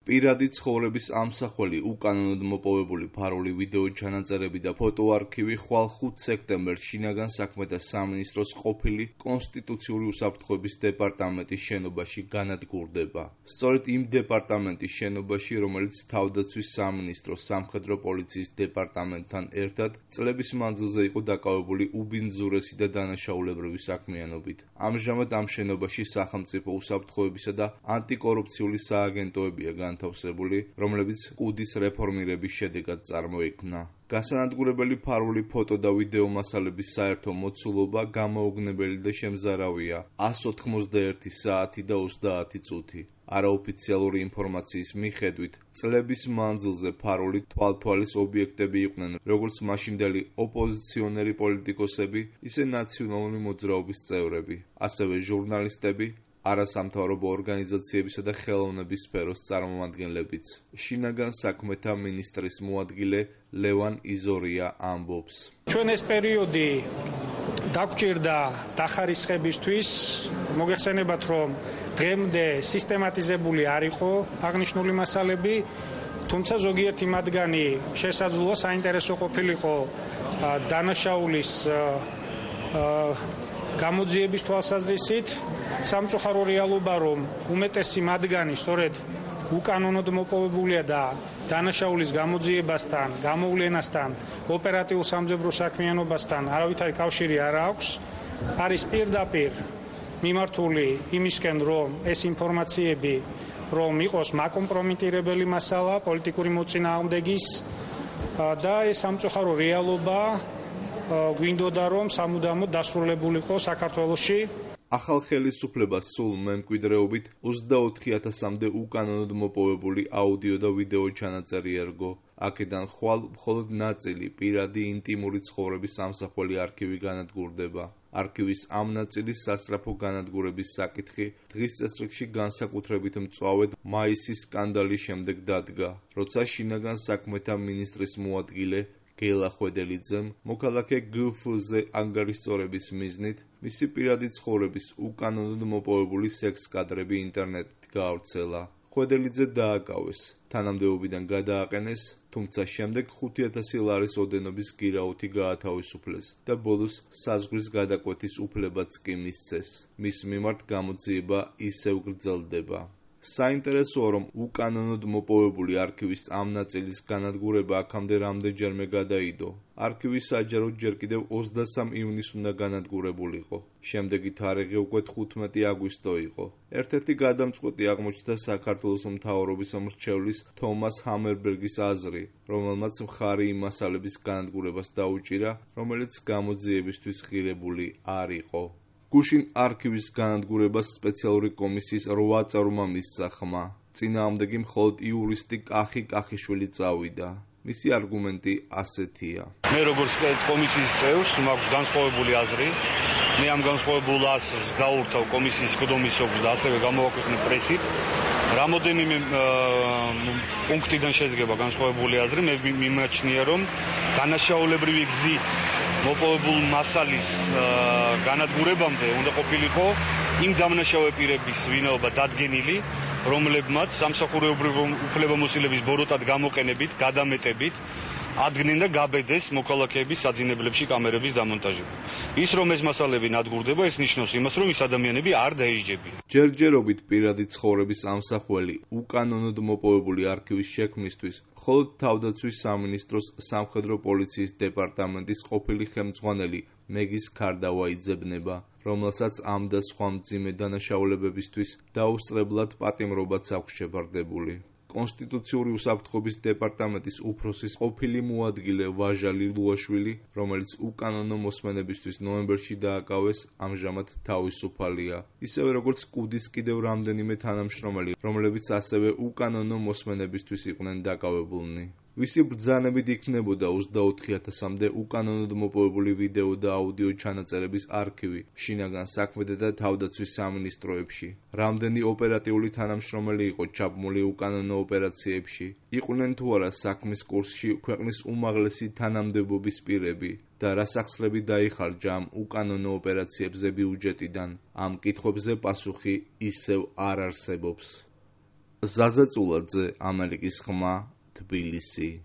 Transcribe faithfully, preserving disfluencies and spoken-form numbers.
პირადი ცხოვრების ამსახველი, უკანონოდ მოპოვებული ფარული ვიდეო ჩანაწერები და ფოტოარქივი ხვალ ხუთ სექტემბერს შინაგან საქმეთა სამინისტროს ყოფილი კონსტიტუციური უსაფრთხოების დეპარტამენტის შენობაში განადგურდება. სწორედ იმ დეპარტამენტის შენობაში, რომელიც თავდაცვის სამინისტროს სამხედრო პოლიციის დეპარტამენტთან ერთად წლების მანძილზე იყო დაკავებული უბინძურესი და დანაშაულებრივი საქმიანობით. ამჟამად ამ შენობაში სახელმწიფო უსაფრთხოებისა და ანტიკორუფციული სააგენტოებია განთავსებული, რომლებიც კუდის რეფორმირების შედეგად წარმოიქმნა. გასანადგურებელი ფარული ფოტო და ვიდეო მასალების საერთო მოცულობა გამოუგნებელი და შემზარავია ას ოთხმოცდაერთი საათი და ოცდაათი წუთი. არაოფიციალური ინფორმაციის მიხედვით, წლების მანძილზე ფარული თვალთვალის ობიექტები იყვნენ როგორც მაშინდელი ოპოზიციონერი პოლიტიკოსები, ისე ნაციონალური მოძრაობის წევრები, ასევე ჟურნალისტები, არასამთავრობო ორგანიზაციებისა და ხელოვნების სფეროს წარმომადგენლებიც. შინაგან საქმეთა მინისტრის მოადგილე ლევან იზორია ამბობს. ჩვენ ეს პერიოდი დაგვჭირდა დახარისხებისთვის, მოგეხსენებათ, რომ დღემდე სისტემატიზებული არ იყო აღნიშნული მასალები, თუმცა ზოგიერთი მათგანი შესაძლოა საინტერესო ყოფილიყო დანაშაულის გამოძიების თვალსაზრისით. სამწუხარო რეალობა, რომ უმეტესი მათგანი სწორედ უკანონოდ მოპოვებულია და დანაშაულის გამოძიებასთან, გამოვლენასთან, ოპერატიულ სამძებრო საქმიანობასთან არავითარი კავშირი არ აქვს, არის პირდაპირ მიმართული იმისკენ, რომ ეს ინფორმაციები რომ იყოს მაკომპრომიტირებელი მასალა პოლიტიკური მოწინააღმდეგის და ეს სამწუხარო რეალობა გვინდოდა რომ სამუდამოდ დასრულებულიყო საქართველოში. ახალ ხელისუფლებას სულ მემკვიდრეობით ოცდაოთხი ათასამდე უკანონოდ მოპოვებული აუდიო და ვიდეო ჩანაწერი ერგო. აქედან ხვალ მხოლოდ ნაწილი პირადი ინტიმური ცხოვრების ამსახველი არქივი განადგურდება. არქივის ამ ნაწილის სასწრაფო განადგურების საკითხი დღის წესრიგში განსაკუთრებით მწვავედ მაისის სკანდალის შემდეგ დადგა, როცა შინაგან საქმეთა მინისტრის მოადგილე გელა ხვედელიძემ მოქალაქე გფ-ზე ანგარიშწორების მიზნით მისი პირადი ცხოვრების უკანონოდ მოპოვებული სექს კადრები ინტერნეტით გაავრცელა. ხვედელიძე დააკავეს, თანამდებობიდან გადააყენეს, თუმცა შემდეგ ხუთი ათასი ლარის ოდენობის გირაუთი გაათავისუფლეს და ბოლოს საზღვრის გადაკვეთის უფლებაც კი მისცეს. მის მიმართ გამოძიება ისევ გრძელდება. საინტერესოა, რომ უკანონოდ მოპოვებული არქივის ამ ნაწილის განადგურება აქამდე რამდენჯერმე გადაიდო. არქივი საჯაროდ ჯერ კიდევ ოცდასამ ივნისს უნდა განადგურებულიყო. შემდეგი თარიღი უკვე თხუთმეტი აგვისტო იყო. ერთ-ერთი გადამწყვეტი აღმოჩნდა საქართველოს მთავრობის მრჩევლის თომას ჰამერბერგის აზრი, რომელმაც მხარი იმ მასალების განადგურებას დაუჭირა, რომელიც გამოძიებისთვის ღირებული არ იყო. გუშინ არქივის განადგურებას სპეციალური კომისიის რვა წევრმა მისცა ხმა. წინააღმდეგი მხოლოდ იურისტი კახი კახიშვილი წავიდა. მისი არგუმენტი ასეთია. მე როგორც კომისიის წევრს მაქვს განსხვავებული აზრი. მე ამ განსხვავებულ აზრს გაურთავ კომისიის ხდომისობრ და ასევე გამოვაქვეყნე პრესით. რამოდენიმე პუნქტიდან შედგება განსხვავებული აზრი. მე მიმაჩნია, რომ დანაშაულებრივი გზით მოპოვებული მასალის განადგურებამდე უნდა ყოფილიყო იმ დამნაშავე პირების ვინაობა დადგენილი, რომლებმაც სამსახურეობრივი უფლებამოსილების ბოროტად გამოყენებით, გადამეტებით ადგენენ და გაბედეს მოქალაქეების საძინებლებში კამერების დამონტაჟება. ის რომ ეს მასალები ნადგურდება, ეს ნიშნავს იმას, რომ ის ადამიანები არ დაიჯებიან. ჯერჯერობით პირადი ცხოვრების ამსახველი უკანონოდ მოპოვებული არქივის შექმნისთვის მხოლოდ თავდაცვის სამინისტროს სამხედრო პოლიციის დეპარტამენტის ყოფილი ხელმძღვანელი მეგის ქარდავა იძებნება, რომელსაც ამ და სხვა მძიმე დანაშაულებებისთვის დაუსწრებლად პატიმრობაც აქვს შეფარდებული. კონსტიტუციური უსაფრთხოების დეპარტამენტის უფროსის ყოფილი მოადგილე ვაჟალი ლუაშვილი, რომელიც უკანონო მოსმენებისთვის ნოემბერში დააკავეს, ამჟამად თავისუფალია. ისევე როგორც კუდის კიდევ რამდენიმე თანამშრომელი, რომლებიც ასევე უკანონო მოსმენებისთვის იყვნენ დაკავებულნი. ვისი ბრძანებით იქნებოდა ოცდაოთხი ათასამდე უკანონოდ მოპოვებული ვიდეო და აუდიო ჩანაწერების არქივი შინაგან საქმეთა და თავდაცვის სამინისტროებში. რამდენი ოპერატიული თანამშრომელი იყო ჩაბმული უკანონო ოპერაციებში, იყვნენ თუ არა საქმის კურსში ქვეყნის უმაღლესი თანამდებობის პირები და რა სახსრები დაიხარჯა ამ უკანონო ოპერაციებზე ბიუჯეტიდან, ამ კითხვებზე პასუხი ისევ არ არსებობს. ზაზა წულაძე, ამერიკის ხმა, თბილისი.